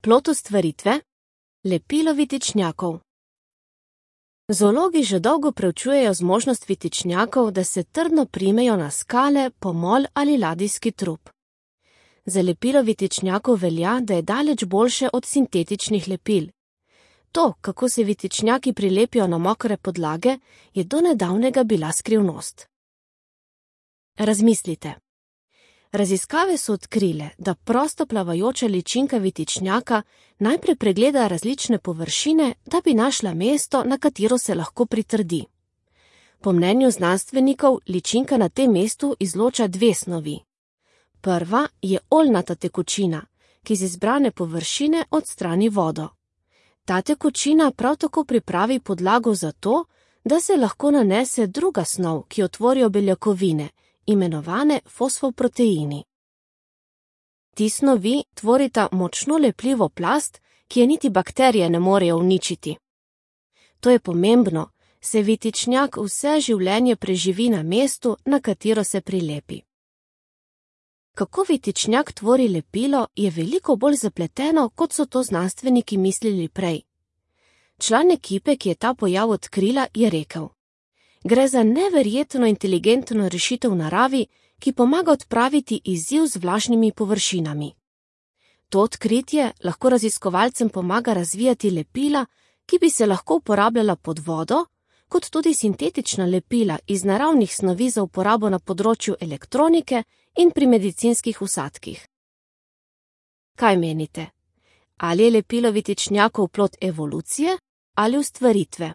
Plod ustvaritve? Lepilo vitičnjakov. Zoologi že dolgo preučujejo zmožnost vitičnjakov, da se trdno primejo na skale, pomol ali ladijski trup. Za lepilo vitičnjakov velja, da je daleč boljše od sintetičnih lepil. To, kako se vitičnjaki prilepijo na mokre podlage, je do nedavnega bila skrivnost. Razmislite. Raziskave so odkrile, da prosto plavajoča ličinka vitičnjaka najprej pregleda različne površine, da bi našla mesto, na katero se lahko pritrdi. Po mnenju znanstvenikov ličinka na tem mestu izloča dve snovi. Prva je oljnata tekočina, ki z izbrane površine odstrani vodo. Ta tekočina prav tako pripravi podlago za to, da se lahko nanese druga snov, ki otvorijo beljakovine, imenovane fosfoproteini. Ti snovi tvorita močno lepljivo plast, ki je niti bakterije ne morejo uničiti. To je pomembno, saj vitičnjak vse življenje preživi na mestu, na katero se prilepi. Kako vitičnjak tvori lepilo, je veliko bolj zapleteno, kot so to znanstveniki mislili prej. Član ekipe, ki je ta pojav odkrila, je rekel: Gre za neverjetno inteligentno rešitev v naravi, ki pomaga odpraviti izziv z vlažnimi površinami. To odkritje lahko raziskovalcem pomaga razvijati lepila, ki bi se lahko uporabljala pod vodo, kot tudi sintetična lepila iz naravnih snovi za uporabo na področju elektronike in pri medicinskih vsadkih. Kaj menite? Ali je lepilo vitičnjakov plod evolucije ali ustvaritve?